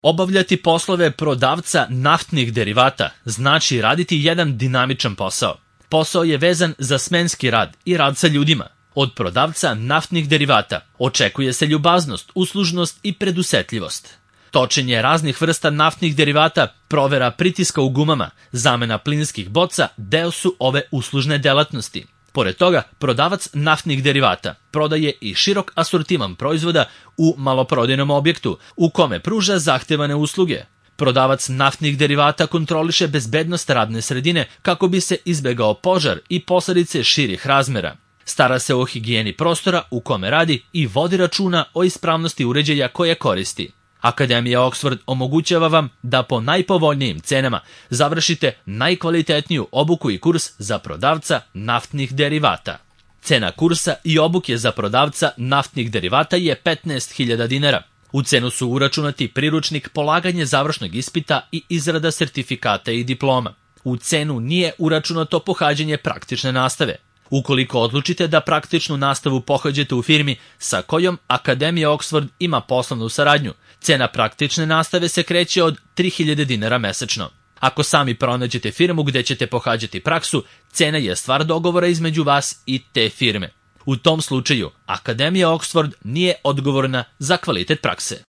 Obavljati poslove prodavca naftnih derivata znači raditi jedan dinamičan posao. Posao je vezan za smenski rad i rad sa ljudima. Od prodavca naftnih derivata očekuje se ljubaznost, uslužnost i predusetljivost. Točenje raznih vrsta naftnih derivata, provera pritiska u gumama, zamena plinskih boca deo su ove uslužne delatnosti. Pored toga, prodavac naftnih derivata prodaje i širok asortiman proizvoda u maloprodajnom objektu, u kome pruža zahtevane usluge. Prodavac naftnih derivata kontroliše bezbednost radne sredine kako bi se izbegao požar i posledice širih razmera. Stara se o higijeni prostora u kome radi i vodi računa o ispravnosti uređaja koje koristi. Akademija Oxford omogućava vam da po najpovoljnijim cenama završite najkvalitetniju obuku i kurs za prodavca naftnih derivata. Cena kursa i obuke za prodavca naftnih derivata je 15.000 dinara. U cenu su uračunati priručnik, polaganje završnog ispita i izrada sertifikata i diploma. U cenu nije uračunato pohađanje praktične nastave. Ukoliko odlučite da praktičnu nastavu pohađate u firmi sa kojom Akademija Oxford ima poslovnu saradnju, cena praktične nastave se kreće od 3.000 dinara mesečno. Ako sami pronađete firmu gde ćete pohađati praksu, cena je stvar dogovora između vas i te firme. U tom slučaju, Akademija Oxford nije odgovorna za kvalitet prakse.